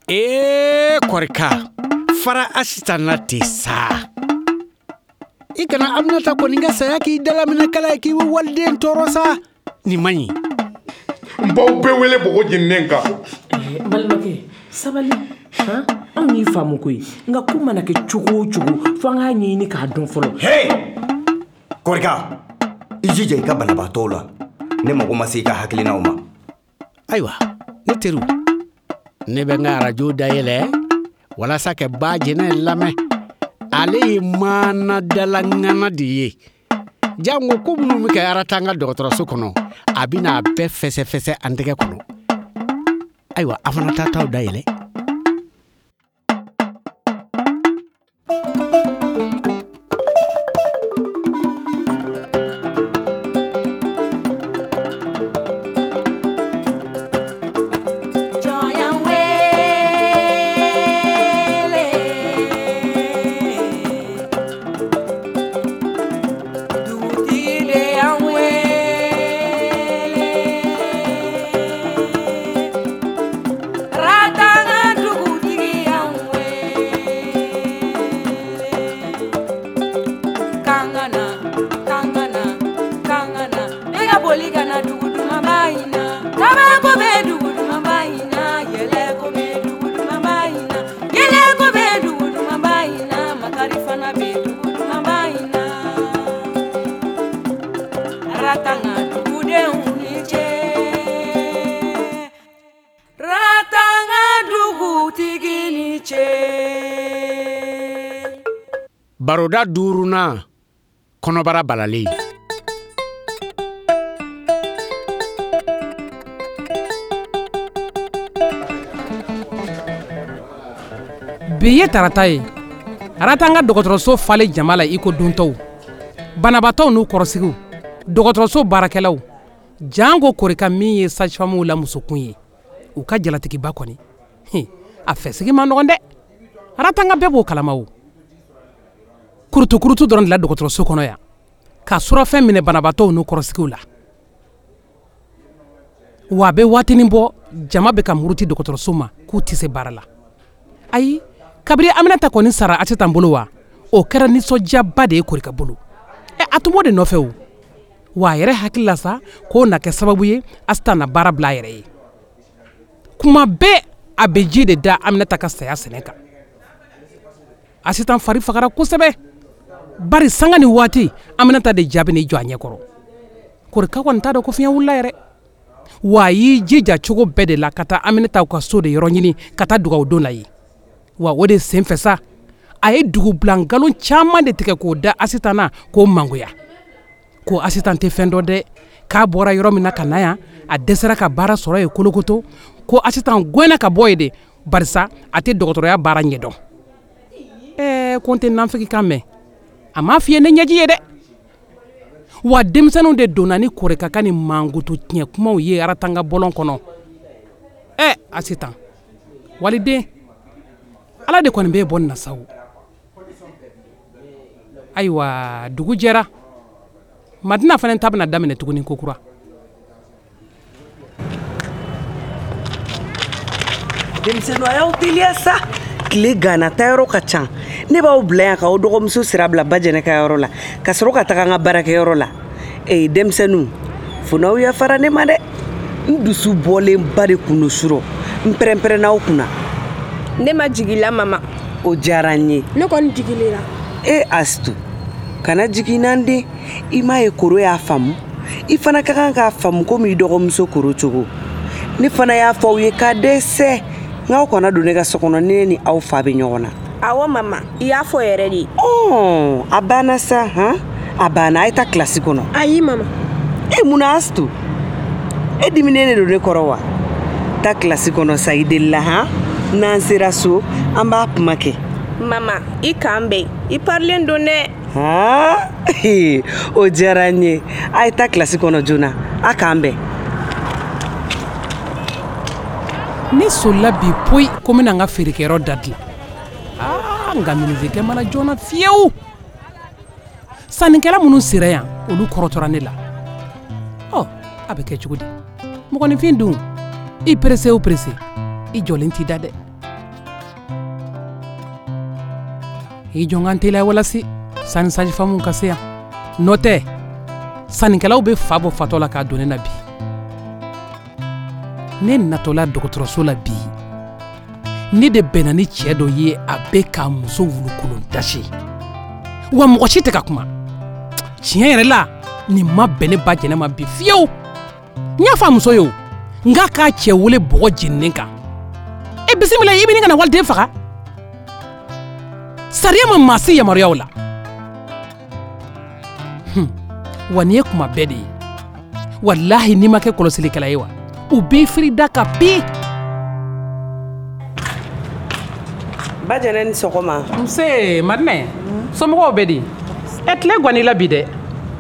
Ee Kɔrika, fara Asitan na ten sa. I kana Aminata kɔni ka saya k'i dalaminɛ kala ye k'i bɛ waliden tɔɔrɔ sa. Nin man ɲi. N b'aw bɛɛ wele bɔgɔ jeninen kan. N balimakɛ, sabali. Han? Anw y'i faamu koyi. Nka ko mana kɛ cogo o cogo, fo an k'a ɲɛɲini k'a dɔn fɔlɔ. Hey! Kɔrika, i jija i ka banabaatɔw la. Ne mago ma se i ka hakilinaw ma. Ayiwa, ne teriw, ne bɛ n ka arajo dayɛlɛ walasa ka ba jɛnɛ lamɛn. Ale ye maanadala ŋana de ye. Jango ko minnu bɛ kɛ Aratanga dɔgɔtɔrɔso kɔnɔ, a bɛna a bɛɛ fɛsɛfɛsɛ an tɛgɛ kɔnɔ. Ayiwa, a fana taa taw dayɛlɛ. Baroda duurunan, kɔnɔbara balalen. Bi ye tarata ye. Aratanga dɔgɔtɔrɔso falen jama la i ko dontɔw. Banabaatɔw n'u kɔrɔsigiw, dɔgɔtɔrɔso baarakɛlaw, janko Korika min ye sage-femme la musokun ye, u ka jalatigiba kɔni. A fɛsigi man nɔgɔn dɛ. Aratanga bɛɛ b'o kalama o. Kurutukurutu dɔrɔn de la dɔgɔtɔrɔso kɔnɔ yan, ka surafɛn minɛ banabaatɔw n'u kɔrɔsigiw la. Wa a bɛ waatinin bɔ, jama bɛ ka muruti dɔgɔtɔrɔso ma k'u tɛ se baara la. Ayi, kabini Aminata kɔni sara Asitan bolo wa, o kɛra nisɔndiyaba de ye Korika bolo. A tun b'o de nɔfɛ o. Wa a yɛrɛ hakili la sa k'o na kɛ sababu ye Asitan na baara bila a yɛrɛ ye. Kuma bɛɛ a bɛ ji de da Aminata ka saya sɛnɛ kan. Asitan fari fagara kosɛbɛ, bari sanga ni waati Aminata de jaabi n'i jɔ a ɲɛkɔrɔ. Korika kɔni t'a dɔn ko fiɲɛ wulila yɛrɛ. Wa a y'i jija cogo bɛɛ de la ka taa Aminata ka so de yɔrɔ ɲini ka taa dugawu don la ye. Wa o de senfɛ sa, a ye dugubila nkalon caman de tigɛ k'o da Asitan na k'o mangoya. Ko Asitan tɛ fɛn dɔn dɛ, k'a bɔra yɔrɔ min na ka na yan, a dɛsɛra ka baara sɔrɔ yen kolokoto, ko Asitan gɛnna ka bɔ yen de, barisa a tɛ dɔgɔtɔrɔya baara ɲɛdɔn. Ko n tɛ nafigi kan mɛn, a m'a f'i ye ne ɲɛji ye dɛ. Wa denmisɛnninw de donna ni Korika ka nin mankutu tiɲɛ kumaw ye Aratanga bɔlɔn kɔnɔ. Asitan, waliden, Ala de kɔni b'e bɔ nin na sa o. Ayiwa, dugu jɛra. Madina fana ta bɛna daminɛ tuguni kokura. Denmisɛnninw, a y'aw teliya sa. Tile ganna, taayɔrɔ ka ca. Ne b'aw bila yan k'aw dɔgɔmuso sira bila Bajɛnɛ ka yɔrɔ la, ka sɔrɔ ka taga n ka baarakɛyɔrɔ la. Ee denmisɛnninw, fo n'aw yafara ne ma dɛ. N dusu bɔlenba de kun don surɔ. N pɛrɛnpɛrɛnn'aw kunna. Ne ma jigin la, mama. O diyara n ye. Ne kɔni jiginna la. E Asitu, kana jigin n'an den. I m'a ye Koro y'a faamu. I fana ka kan k'a faamu komi i dɔgɔmuso Koro cogo. Ne fana y'a fɔ aw ye k'a dɛsɛ. N k'aw kana don ne ka so kɔnɔ, ne ni aw fa bɛ ɲɔgɔn na. Awɔ mama, i y'a fɔ yɛrɛ de. Ɔn, a banna sa, han? A banna, a ye taa kilasi kɔnɔ. Ayi mama. E mun na Asitu? E diminen de don ne kɔrɔ wa? Taa kilasi kɔnɔ sa, i delila, han? N'an sera so, an b'a kuma kɛ. Mama, i k'an bɛn. I parilen don dɛ. Han? O diyara n ye. A ye taa kilasi kɔnɔ joona. A k'an bɛn. Ne solila bi poyi ko n bɛna n ka feerekɛyɔrɔ da dilan. Aa, nka minizekɛ ma na joona fiyewu. Sannikɛla minnu sera yan, olu kɔrɔtɔra ne la. Ɔ, a bɛ kɛ cogo di? Mɔgɔninfin dun, i pressé o pressé, i jɔlen t'i da dɛ. I jɔ n ka n teliya walasi sani sajifamuw ka se yan, n'o tɛ sannikɛlaw bɛ fa bɔ fatɔ la k'a don ne na bi. Ne natɔla dɔgɔtɔrɔso la bi, ne de bɛnna ni cɛ dɔ ye, a bɛ k'a muso wulukolon dasi, wa mɔgɔ si tɛ ka kuma. Tiɲɛ yɛrɛ la, nin ma bɛn ne ba jɛnɛ ma bi fiyewu. N y'a fɔ a muso ye o, n k'a k'a cɛ wele bɔgɔ jeninen kan. E bisimila, i bɛ ɲini ka na waliden faga. Sariya ma maa si yamaruya o la. Wa nin ye kuma bɛɛ de ye, walahi n'i ma kɛ kɔlɔsilikɛla ye wa, u b'i firi da ka bi. Ba jɛnɛ, ni sɔgɔma. Nse Madinɛ, somɔgɔw bɛ di? Ɛ, tile ganna i la bi dɛ.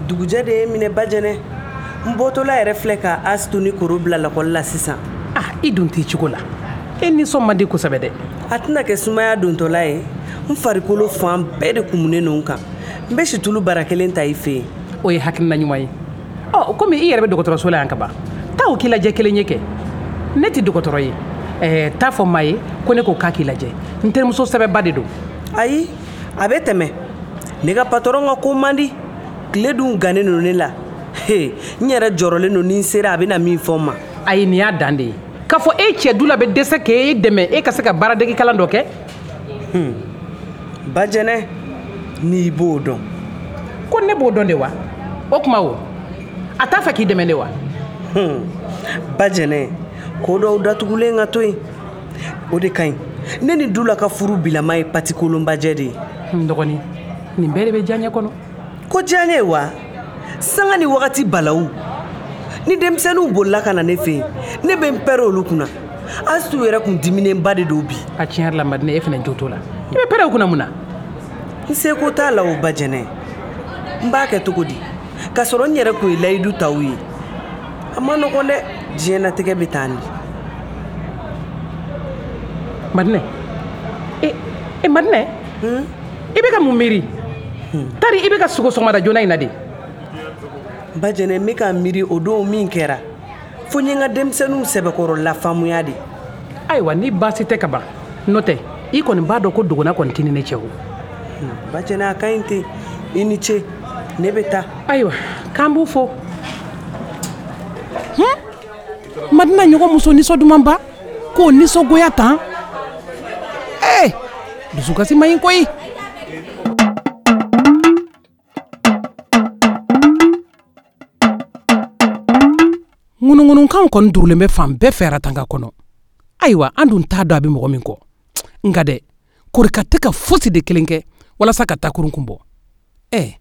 Dugujɛ de ye minɛ ba jɛnɛ. N bɔtɔla yɛrɛ filɛ ka Asitu ni Koro bila lakɔli la sisan. Ah, i dun t'i cogo la, e nisɔn man di kosɛbɛ dɛ. A tɛna kɛ sumaya dontɔla ye. N farikolo fan bɛɛ de kumunen don n kan. N bɛ situlu bara kelen ta i fɛ yen. O ye hakilina ɲuman ye. Ɔ, komi i yɛrɛ bɛ dɔgɔtɔrɔso la yan ka ban, taa o k'i lajɛ kelen ye kɛ. Ne tɛ dɔgɔtɔrɔ ye. Ɛɛ, taa fɔ maa ye ko ne ko k'a k'i lajɛ. N terimuso sɛbɛba de don. Ayi, a bɛ tɛmɛ. Ne ka patɔrɔn ka ko man di. Tile dun gannen don ne la. He, n yɛrɛ jɔrɔlen don, ni n sera a bɛna min fɔ n ma. Ayi, nin y'a dan de ye. K'a fɔ e cɛ du la bɛ dɛsɛ k'e dɛmɛ e ka se ka baaradege kalan dɔ kɛ. Ba jɛnɛ, n'i b'o dɔn. Ko ne b'o dɔn de wa? O tuma o, a t'a fɛ k'i dɛmɛ de wa? Ba jɛnɛ, ko dɔw datugulen ka to yen, o de ka ɲi. Ne ni Dula ka furu bilama ye patikolonbajɛ de ye. N dɔgɔnin, nin bɛɛ de bɛ diyaɲɛ kɔnɔ. Ko diyaɲɛ wa? Sanga ni wagati balawu. Ni denmisɛnninw bolila ka na ne fɛ yen, ne bɛ n pɛrɛ olu kunna. Asitu yɛrɛ kun diminenba de don bi. A tiɲɛ yɛrɛ la Madinɛ, e fana jo t'o la. I bɛ pɛrɛ o kunna mun na? N seko t'a la o ba jɛnɛ. N b'a kɛ cogo di? K'a sɔrɔ n yɛrɛ kun ye layidu ta u ye. A ma nɔgɔn dɛ, diɲɛnatigɛ bɛ tan de. Madinɛ, e Madinɛ, i bɛ ka mun miiri? Tari i bɛ ka sugo sɔgɔmada joona in na de. Ba jɛnɛ, n bɛ ka miiri o don min kɛra, fo n ye n ka denmisɛnninw sɛbɛkɔrɔ lafaamuya de. Ayiwa, ni baasi tɛ ka ban, n'o tɛ i kɔni b'a dɔn ko dogona kɔni tɛ ni ne cɛ o. Ba jɛnɛ, a ka ɲi ten. I ni ce, ne bɛ taa. Ayiwa, k'an b'u fo. Madina ɲɔgɔn muso nisɔn dumanba k'o nisɔngoya tan. Ee, dusukasi man ɲi koyi. Ŋunuŋunukanw kɔni durulen bɛ fan bɛɛ fɛ Aratanga kɔnɔ. Ayiwa, an dun t'a dɔn a bɛ mɔgɔ min kɔ. Nka dɛ, Korika tɛ ka fosi de kelen kɛ walasa ka takurun kun bɔ. Ɛ,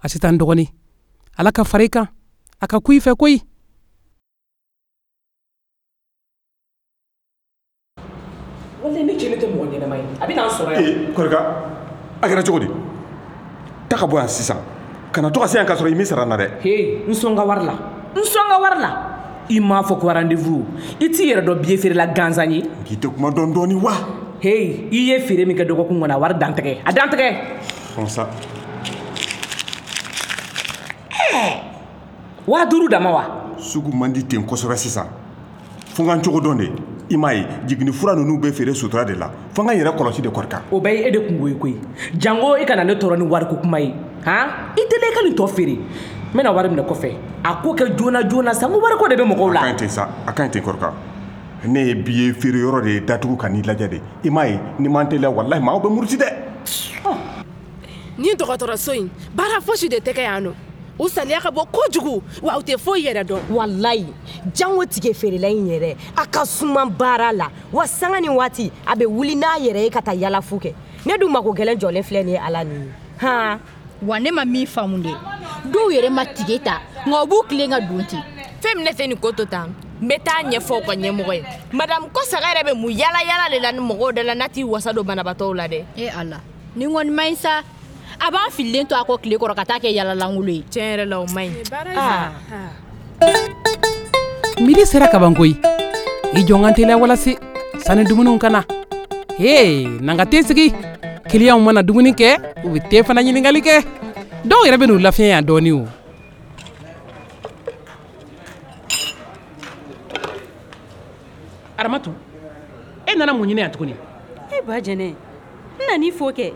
Asitan dɔgɔnin, Ala ka fara i kan, a ka ku i fɛ koyi. Walayi ne cɛ tɛ mɔgɔ ɲɛnama ye, a bɛ n'an sɔrɔ yan. Ee Korika, a kɛra cogo di? Taa ka bɔ yan sisan, kana to ka se yan k'a sɔrɔ i m'i sara n na dɛ. He, n sɔn ka wari la, n sɔn ka wari la. I m'a fɔ ko rendez-vous, i t'i yɛrɛ dɔn billet feerela gansan ye. K'i tɛ kuma dɔɔni dɔɔni wa? Hey, i ye feere min kɛ dɔgɔkun kɔnɔ, a wari dantigɛ, a dantigɛ. Sɔn sa. 5000 dama wa? Sugu man di ten kosɛbɛ sisan. Fo n ka n cogo dɔn de. I m'a ye, jiginni fura ninnu bɛ feere sutura de la. Fo n ka n yɛrɛ kɔlɔsi de Korika. O bɛɛ ye e de kungo ye koyi. Jango i kana ne tɔɔrɔ ni wariko kuma ye. Han? I teliya i ka nin tɔ feere. N bɛna wari minɛ kɔfɛ. A ko kɛ joona joona sa, n ko wariko de bɛ mɔgɔw la. A ka ɲi ten sa, a ka ɲi ten Korika. Ne ye billet feere yɔrɔ de datugu ka n'i lajɛ de. I m'a ye, ni ma n teliya walahi maaw bɛ muruti dɛ. Ni dɔgɔtɔrɔso in, baara fosi de tɛ kɛ yan nɔ. U saliya ka bɔ kojugu, wa u tɛ foyi yɛrɛ dɔn. Walayi, jango tige feerela in yɛrɛ, a ka suma baara la. Wa sanga ni waati, a bɛ wuli n'a yɛrɛ ye ka taa yalafu kɛ. Ne dun mako gɛlɛn jɔlen filɛ nin ye Ala ni ye. Han! Wa ne ma min faamu dɛ, dɔw yɛrɛ ma tige ta, nka u b'u tilen ka don ten. Fɛn min ne tɛ nin ko to tan, n bɛ taa ɲɛfɔ u ka ɲɛmɔgɔ ye. Madame Kɔsaga yɛrɛ bɛ mun yala yala de la ni mɔgɔw da la n'a t'i wasa don banabaatɔw la dɛ. E Ala, nin kɔni man ɲi sa. A b'an fililen to a kɔ tile kɔrɔ ka taa kɛ yalalankolon ye. Tiɲɛ yɛrɛ la o man ɲi. Midi sera kaban koyi. I jɔ n ka n teliya walasi sani dumuniw ka na. Hee, na n ka te sigi. Kiliyanw mana dumuni kɛ, u bɛ te fana ɲininkali kɛ. Dɔw yɛrɛ bɛ n'u lafiɲɛ yan dɔɔni o. Aramatu, e nana mun ɲini yan tuguni? E ba jɛnɛ, n nan'i fo kɛ.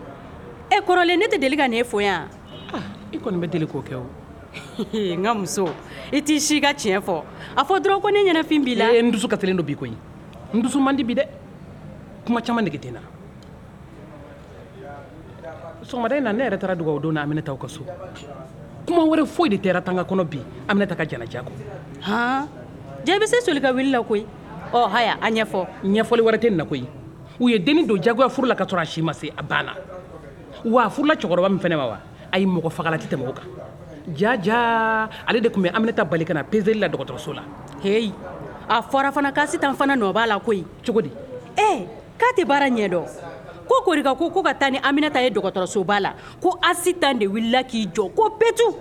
E kɔrɔlen ne tɛ deli ka n'e fo yan. I kɔni bɛ deli k'o kɛ o. N ka muso, i t'i si ka tiɲɛ fɔ. A fɔ dɔrɔn ko ne ɲɛnafin b'i la. Ee, n dusu kasilen don bi koyi. N dusu man di bi dɛ. Kuma caman nege tɛ n na. Sɔgɔmada in na ne yɛrɛ taara dugawu don na Aminata ka so. Kuma wɛrɛ foyi de tɛ Ratanga kɔnɔ bi Aminata ka janaja kɔ. Han, ja i bɛ se soli ka wuli la koyi. Ɔ haya, a ɲɛfɔ. Ɲɛfɔli wɛrɛ tɛ nin na koyi. U ye dennin don jagoya furu la ka sɔrɔ a si ma se, a banna. Wa a furula cɛkɔrɔba min fɛnɛ ma wa, ayi mɔgɔ fagala tɛ tɛmɛ o kan. Ja ja, ale de tun bɛ Aminata bali ka na peseli la dɔgɔtɔrɔso la. Heyi, a fɔra fana k'Asitan fana nɔ b'a la koyi. Cogo di? Ɛ, k'a tɛ baara ɲɛ dɔn. Ko Korika ko ko ka taa ni Aminata ye dɔgɔtɔrɔsoba la, ko Asitan de wulila k'i jɔ ko petu.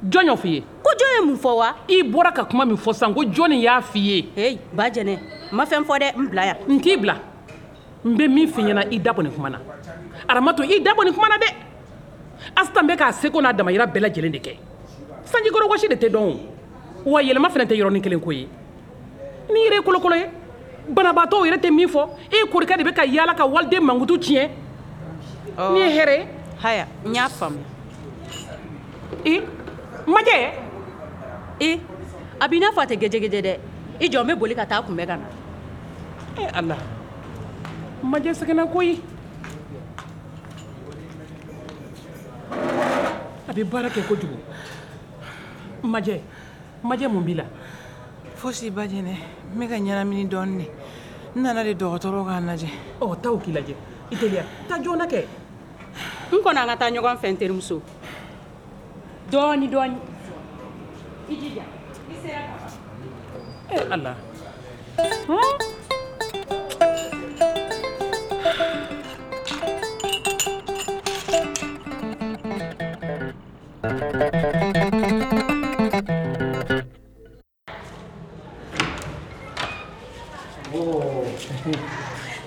Jɔn y'o f'i ye? Ko jɔn ye mun fɔ wa? I bɔra ka kuma min fɔ sisan, ko jɔnni y'a f'i ye? Heyi, ba jɛnɛ, n ma fɛn fɔ dɛ, n bila yan. N t'i bila. N bɛ min f'i ɲɛna, i da bɔ nin kuma na. Aramatu, i da bɔ nin kuma na dɛ. Asitan bɛ k'a seko n'a damayira bɛɛ lajɛlen de kɛ. Sanjikɔrɔ wɔsi de tɛ dɔn o. Wa yɛlɛma fana tɛ yɔrɔnin kelen ko ye. N'i yɛrɛ ye kolokolo ye, banabaatɔw yɛrɛ tɛ min fɔ, e Korika de bɛ ka yaala ka waliden mankutu tiɲɛ. Nin ye hɛrɛ ye. Haya, n y'a faamu. E, Majɛ. E, a b'i n'a fɔ a tɛ gɛjɛgɛjɛ dɛ. I jɔ, n bɛ boli ka taa kunbɛn ka na. E Ala, Majɛ sɛgɛnna koyi. A bɛ baara kɛ kojugu. Majɛ, Majɛ mun b'i la? Fosi ba jɛnɛ, n bɛ ka ɲɛnamini dɔɔnin de. N nana de dɔgɔtɔrɔ k'a lajɛ. Ɔ, taa o k'i lajɛ. I teliya, taa joona kɛ. N kɔni an ka taa ɲɔgɔn fɛ n terimuso. Dɔɔni dɔɔni. I jija, i sera ka ban. E Ala.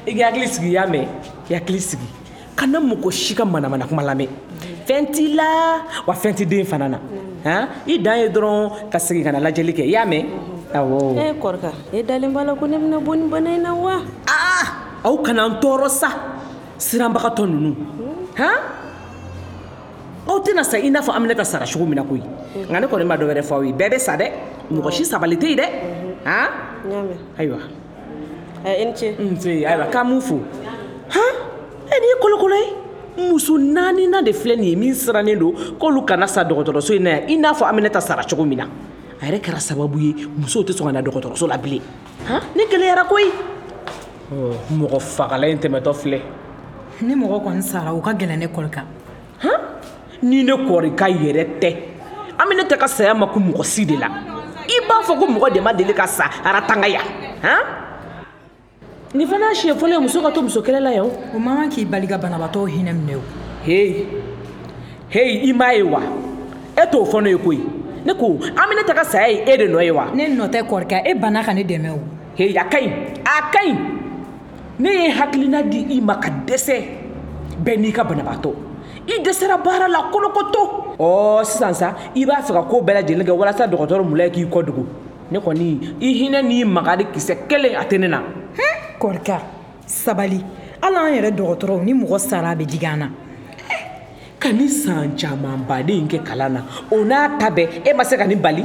I ka hakili sigi, y'a mɛn, i hakili sigi, kana mɔgɔ si ka manamana kuma lamɛn. Fɛn t'i la wa fɛn t'i den fana na. Han, i dan ye dɔrɔn ka segin ka na lajɛli kɛ, i y'a mɛn? Awɔ. E Korika, e dalen b'a la ko ne bɛna bɔ nin bana in na wa? Aa, aw kana n tɔɔrɔ sa, siranbagatɔ ninnu. Han, aw tɛna sa i n'a fɔ Aminata sara cogo min na koyi. Nka ne kɔni ma dɔ wɛrɛ fɔ aw ye, bɛɛ bɛ sa dɛ, mɔgɔ si sabali tɛ yen dɛ. Han, ayiwa. I ni ce. Nse, ayiwa, k'an m'u fo. Han, e nin ye kolokolo ye. Muso naaninan de filɛ nin ye min sirannen don k'olu kana sa dɔgɔtɔrɔso in na yan i n'a fɔ Aminata sara cogo min na. A yɛrɛ kɛra sababu ye musow tɛ sɔn ka na dɔgɔtɔrɔso la bilen. Han, ni gɛlɛyara koyi. Mɔgɔ fagala in tɛmɛtɔ filɛ. Ni mɔgɔ kɔni sara, o ka gɛlɛn ne Korika. Han, ni ne Korika yɛrɛ tɛ, Aminata ka saya ma kun mɔgɔ si de la. I b'a fɔ ko mɔgɔ de ma deli ka sa Aratanga yan. Han, nin fana siɲɛ fɔlɔ ye muso ka to muso kɛlɛ la yan. O man kan k'i bali ka banabaatɔw hinɛ minɛ o. Heyi, heyi, i m'a ye wa? E t'o fɔ ne ye koyi. Ne ko Aminata ka saya ye e de nɔ ye wa? Ne nɔ tɛ Korika, e banna ka ne dɛmɛ o. Heyi, a ka ɲi, a ka ɲi. Ne ye hakilina di i ma ka dɛsɛ. Bɛɛ n'i ka banabaatɔ. I dɛsɛra baara la kolokoto. Ɔ sisan sa, i b'a fɛ ka ko bɛɛ lajɛlen kɛ walasa dɔgɔtɔrɔ Mulayi k'i kɔ dogo. Ne kɔni, i hinɛ n'i makari kisɛ kelen a tɛ ne na. Korika, sabali. Hali an yɛrɛ dɔgɔtɔrɔw, ni mɔgɔ sara a bɛ digi an na. Ka ni san caman baden in kɛ kalan na, o n'a ta bɛɛ, e ma se ka nin bali.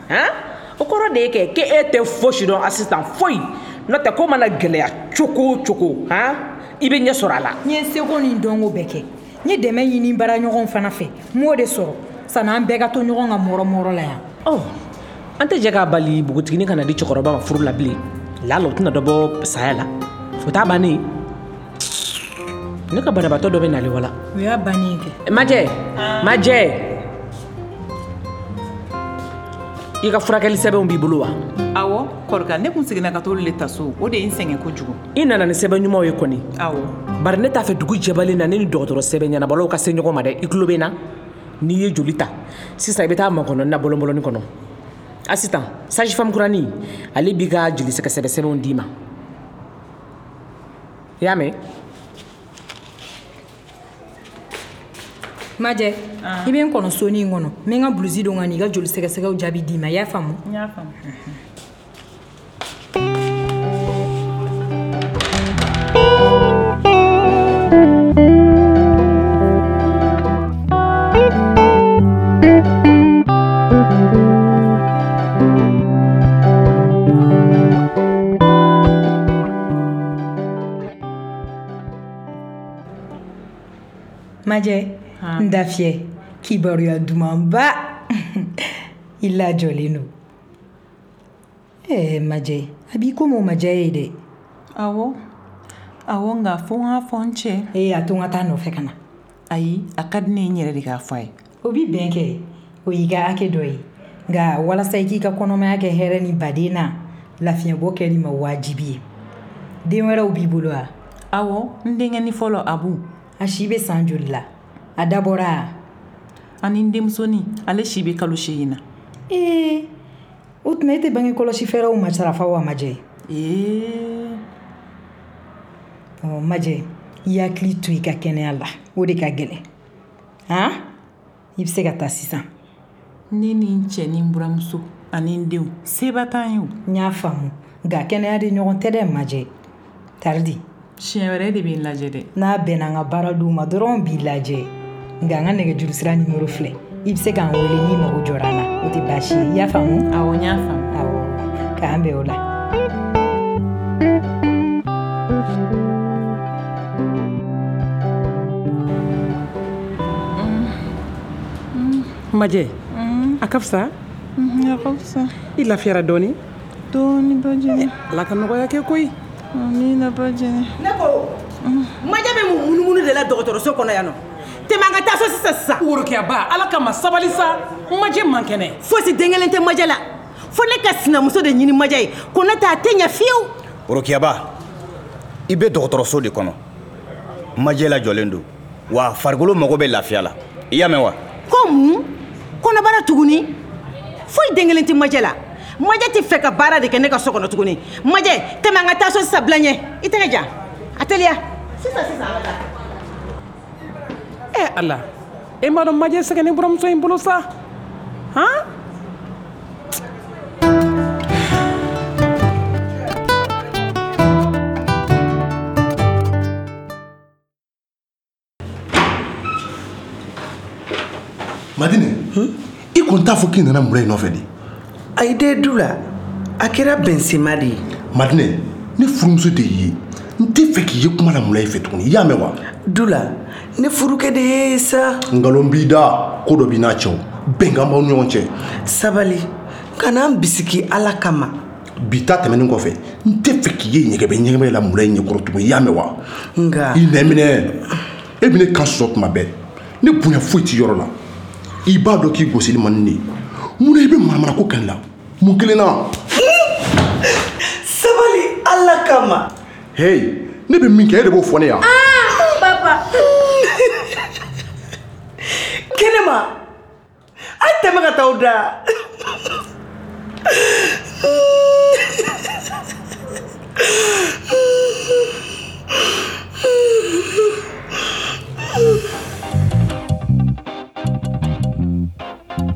Han, o kɔrɔ de ye kɛ k'e tɛ fosi dɔn Asitan, foyi. N'o tɛ ko mana gɛlɛya cogo o cogo, han, i bɛ ɲɛ sɔrɔ a la. N ye seko ni dɔnko bɛɛ kɛ. N ye dɛmɛ ɲini baaraɲɔgɔnw fana fɛ, n m'o de sɔrɔ. Sanni an bɛɛ ka to ɲɔgɔn ka mɔrɔ mɔrɔ la yan. Ɔ, an tɛ jɛ k'a bali npogotiginin kana di cɛkɔrɔba ma furu la bilen. Lala o tɛna dɔ bɔ saya la. O t'a bannen. Ne ka banabaatɔ dɔ bɛ nalen wala. O y'a bannen kɛ. Majɛ, Majɛ. I ka furakɛli sɛbɛnw b'i bolo wa? Awɔ, Korika, ne kun seginna ka t'olu le ta so. O de ye n sɛgɛn kojugu. I nana ni sɛbɛn ɲumanw ye kɔni. Awɔ. Bari ne t'a fɛ dugu jɛbalen na ne ni dɔgɔtɔrɔ sɛbɛn ɲɛnabɔlaw ka se ɲɔgɔn ma dɛ. I tulo bɛ n na? N'i ye joli ta, sisan i bɛ taa makɔnɔni na bɔlɔnbɔlɔni kɔnɔ. Asitan, sage femme kurani, ale b'i ka joli sɛgɛsɛgɛ sɛbɛnw d'i ma. I y'a mɛn? Majɛ, i bɛ n kɔnɔ soni in kɔnɔ. N bɛ n ka blousi don ka n'i ka joli sɛgɛsɛgɛw jaabi d'i ma. I y'a faamu? N y'a faamu. Majɛ, n da fiyɛ, kibaruya dumanba. I lajɔlen don. Ɛɛ Majɛ, a b'i komi o ma diya e ye dɛ. Awɔ, awɔ, nka fo n k'a fɔ n cɛ. Ee, a to n ka taa nɔfɛ ka na. Ayi, a ka di ne ye n yɛrɛ de k'a fɔ a ye. O bi bɛn kɛ, o y'i ka hakɛ dɔ ye. Nka walasa i k'i ka kɔnɔmaya kɛ hɛrɛ ni baden na, lafiɲɛbɔ kɛli ma wajibi ye. Den wɛrɛw b'i bolo wa? Awɔ, n denkɛnin fɔlɔ Abu. A si bɛ san joli la? A dabɔra a? Ani n denmusonin, ale si bɛ kalo 8 na. Ee, o tuma e tɛ bange kɔlɔsi fɛɛrɛw matarafa wa Majɛ? Ee. Ɔ Majɛ, i hakili to i ka kɛnɛya la, o de ka gɛlɛn. Han? I bɛ se ka taa sisan. Ne ni n cɛ ni n buramuso ani n denw, seba t'an ye o. N y'a faamu, nka kɛnɛya de ɲɔgɔn tɛ dɛ Majɛ. Taridi. Siɲɛ wɛrɛ de bɛ n lajɛ dɛ. N'a bɛnna n ka baara don ma dɔrɔn b'i lajɛ. Nka n ka nɛgɛjuru sira nimoro filɛ. I bɛ se k'an wele n'i mago jɔra an na. O tɛ baasi ye. I y'a faamu? Awɔ, n y'a faamu. Awɔ, k'an bɛn o la. Majɛ, a ka fisa? A ka fisa. I lafiyara dɔɔni? Dɔɔni, Bajɛnɛ. Ala ka nɔgɔya kɛ koyi. Amina, Bajɛnɛ. Ne ko, Majɛ bɛ mun munumunu de la dɔgɔtɔrɔso kɔnɔ yan nɔ? Tɛmɛ an ka taa so sisan sisan. Worokiyaba, Ala kama sabali sa. Majɛ man kɛnɛ. Fosi den kelen tɛ Majɛ la. Fo ne ka sinamuso de ɲini Majɛ ye. Ko ne tɛ a tɛ ɲɛ fiyewu. Worokiyaba, i bɛ dɔgɔtɔrɔso de kɔnɔ. Majɛ lajɔlen don. Wa farikolo mago bɛ lafiya la. I y'a mɛn wa? Ko mun? Kɔnɔbara tuguni? Foyi den kelen tɛ Majɛ la. Majɛ tɛ fɛ ka baara de kɛ ne ka so kɔnɔ tuguni. Majɛ, tɛmɛ an ka taa so sisan, bila ɲɛ. I tɛgɛ jan. A teliya. Sisan sisan an ka taa. Ɛ Ala, e m'a dɔn Majɛ sɛgɛnnen buramuso in bolo sa. Han? Madinɛ, i kɔni t'a fɔ k'i nana Mulayi nɔfɛ de? Ayi dɛ Dula, a kɛra bɛnsenma de ye. Madinɛ, ne furumuso de y'i ye. N tɛ fɛ k'i ye kuma la Mulayi fɛ tuguni, i y'a mɛn wa? Dula, ne furukɛ de ye sa. Nkalon b'i da, ko dɔ b'i n'a cɛ o. Bɛnkan b'aw ni ɲɔgɔn cɛ. Sabali, kana n bisigi Ala kama. Bi ta tɛmɛnen kɔfɛ, n tɛ fɛ k'i ye ɲɛgɛbɛ ɲɛgɛbɛ la Mulayi ɲɛkɔrɔ tuguni, i y'a mɛn wa? Nka. I nɛn minɛ. E bɛ ne kan sɔsɔ tuma bɛɛ. Ne bonya foyi t'i yɔrɔ la. I b'a dɔn k'i gosili man di ne ye. Munna i bɛ manamanako kɛ ne la? Mun kelen na? Sabali Ala kama. Hey, ne bɛ min kɛ e de b'o fɔ ne yan. Ah, papa. Kɛnɛma, a ye tɛmɛ ka taa aw da.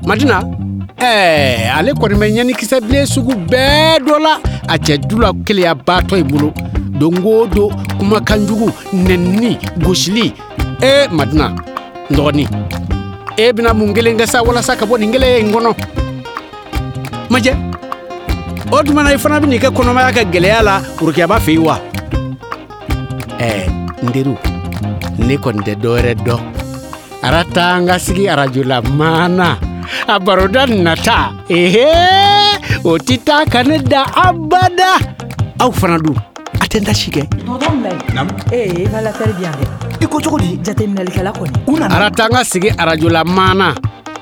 Madina, ɛɛ ale kɔni bɛ ɲanikisɛ bilen sugu bɛɛ dɔ la a cɛ Dula keleyabaatɔ in bolo. Don o don kumakan jugu, nɛnini, gosili. Ee Madina, n dɔgɔnin, e bɛna mun kelen kɛ sa walasa ka bɔ nin keleya in kɔnɔ? Majɛ, o tuma na i fana bɛ n'i ka kɔnɔmaya kɛ gɛlɛya la Worokiyaba fɛ yen wa? Ɛɛ n teriw, ne kɔni tɛ dɔwɛrɛ dɔn. Arata an ka sigi arajo la maana. A baroda nata, ehe, o tɛ taa ka ne da abada. Aw fana dun, a tɛ n ta si kɛ. Tonton Mulayi. Naamu. Ee évaluateur bi yan dɛ. I ko cogo di? Jateminɛlikɛla kɔni. U nana. Arata an ka sigi arajo la maana.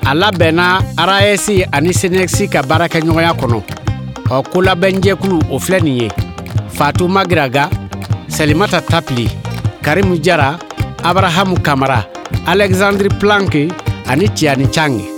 A labɛnna RAS ani SYNECS ka baarakɛɲɔgɔnya kɔnɔ. Ɔ kolabɛnjɛkulu o filɛ nin ye. Fatou Magiraga, Salimata Tapili, Karimu Jara, Abrahamu Kamara, Alexandre Planck ani Tiani Chang.